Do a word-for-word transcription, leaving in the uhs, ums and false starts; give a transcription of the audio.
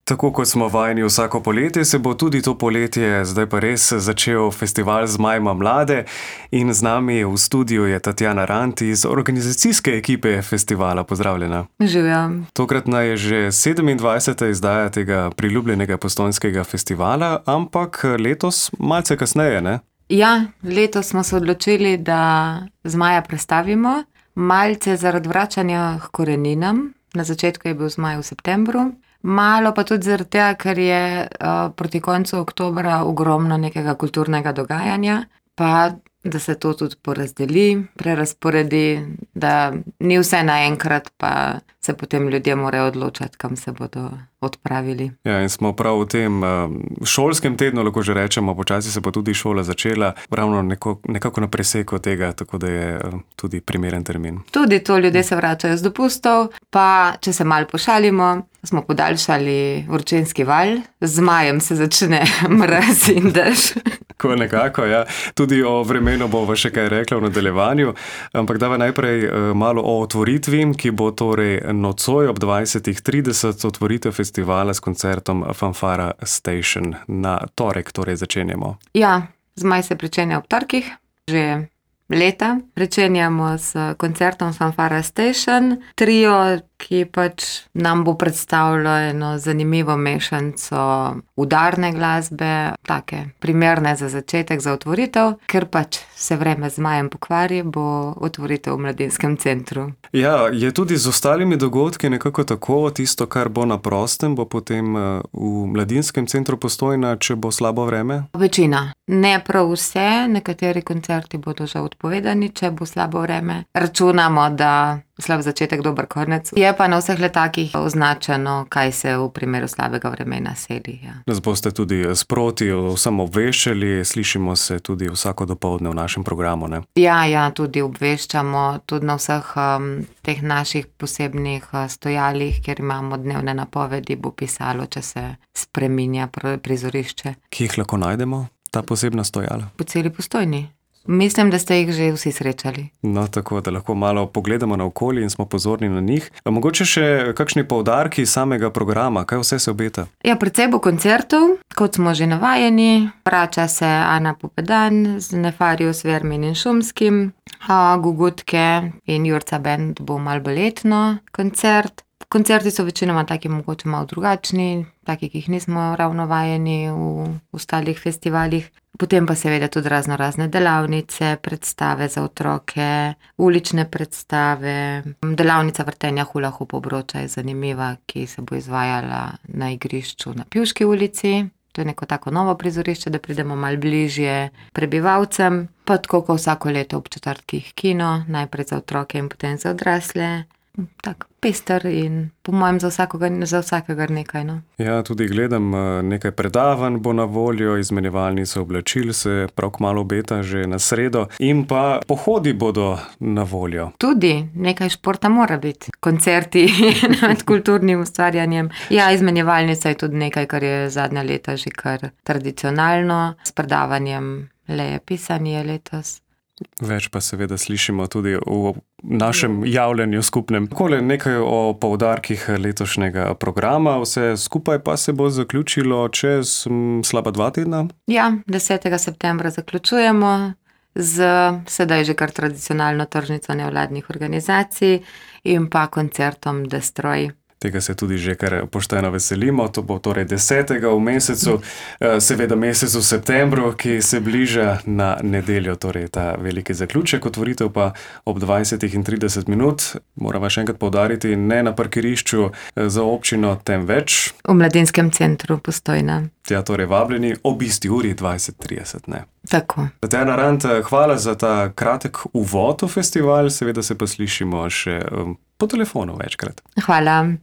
Tako kot smo vajeni vsako poletje, se bo tudi to poletje zdaj pa res začel festival Zmajma mlade in z nami v studiu je Tatjana Rant iz organizacijske ekipe festivala. Pozdravljena. Živjo. Tokratna je že sedemindvajseta izdaja tega priljubljenega postojnskega festivala, ampak letos malce kasneje, ne? Ja, letos smo se odločili, da Zmaja prestavimo, malce zaradi vračanja h koreninam. Na začetku je bil Zmaj v septembru. Malo pa tudi zaradi tega, ker je uh, proti koncu oktobra ogromno nekega kulturnega dogajanja, pa da se to tudi porazdeli, prerazporedi, da ni vse naenkrat, pa se potem ljudje morajo odločati, kam se bodo odpravili. Ja, in smo prav v tem šolskem tednu, lahko že rečemo, počasi se bo tudi šola začela, ravno neko, nekako na preseku tega, tako da je tudi primeren termin. Tudi to, ljudje se vračajo z dopustov, pa če se malo pošalimo, smo podaljšali vročinski val, z Zmajem se začne mraz in dež. Ko nekako, ja. Tudi o vremenu bova še kaj rekla v nadaljevanju, ampak dava najprej malo o otvoritvi, ki bo torej nocoj ob dvajsetih trideset otvoritev festivala s koncertom Fanfara Station. Na torek torej začenjamo. Ja, Zmaj se pričenja ob torkih, že leta. Pričenjamo s koncertom Fanfara Station, trio, ki pač nam bo predstavilo eno zanimivo mešanco udarne glasbe, take primerne za začetek, za otvoritev, ker pač se vreme z Zmajem pokvari, bo otvoritev v Mladinskem centru. Ja, je tudi z ostalimi dogodki nekako tako, tisto, kar bo na prostem, bo potem v Mladinskem centru Postojna, če bo slabo vreme? Večina. Ne prav vse, nekateri koncerti bodo že odpovedani, če bo slabo vreme. Računamo, da slab začetek, dober konec. Je pa na vseh letakih označeno, kaj se v primeru slabega vremena seli. Ja. Nas boste tudi sproti vsem obveščali, slišimo se tudi vsako dopoldne v našem programu, ne? Ja, ja, tudi obveščamo, tudi na vseh um, teh naših posebnih uh, stojalih, kjer imamo dnevne napovedi, bo pisalo, če se spreminja prizorišče. Kje jih lahko najdemo, ta posebna stojala? Po celi Postojni. Mislim, da ste jih že vsi srečali. No, tako, da lahko malo pogledamo na okolje in smo pozorni na njih. A mogoče še kakšni poudarki samega programa, kaj vse se obeta? Ja, precej bo koncertov, kot smo že navajeni. Vrača se Ana Pupedan z Nefarijo Svermin in Šumskim, a Gugutke in Jurca Band bo malo baletno koncert. Koncerti so večinoma taki mogoče malo drugačni, taki, ki jih nismo ravno vajeni v ostalih festivalih. Potem pa seveda tudi razno razne delavnice, predstave za otroke, ulične predstave. Delavnica vrtenja hula hoop obroča je zanimiva, ki se bo izvajala na igrišču na Pivški ulici. To je neko tako novo prizorišče, da pridemo malo bližje prebivalcem. Pa tako kot vsako leto ob četrtkih kino, najprej za otroke in potem za odrasle. Tak, pester in po mojem za vsakega, za vsakega nekaj, no. Ja, tudi gledam, nekaj predavanj bo na voljo, izmenjevalnica oblačil se prav kmalu obeta že na sredo in pa pohodi bodo na voljo. Tudi, nekaj športa mora biti. Koncerti med kulturnim ustvarjanjem. Ja, izmenjevalnica je tudi nekaj, kar je zadnja leta že kar tradicionalno. S predavanjem Leje Pisanje letos. Več pa seveda slišimo tudi v našem javljanju skupnem. Takole nekaj o poudarkih letošnjega programa, vse skupaj pa se bo zaključilo čez m, slaba dva tedna? Ja, desetega septembra zaključujemo z sedaj že kar tradicionalno tržnico nevladnih organizacij in pa koncertom Destroy. Tega se tudi že kar pošteno veselimo, to bo torej desetega v mesecu, seveda mesecu septembru, ki se bliža na nedeljo, torej ta veliki zaključek, otvoritev pa ob dvajsetih trideset minut. Morava še enkrat poudariti, ne na parkirišču za občino, temveč v Mladinskem centru Postojna. Ja, torej vabljeni ob isti uri dvajset trideset, ne? Tako. Tatjana Rant, hvala za ta kratek uvod v festival, seveda se pa slišimo še po telefonu večkrat. Hvala.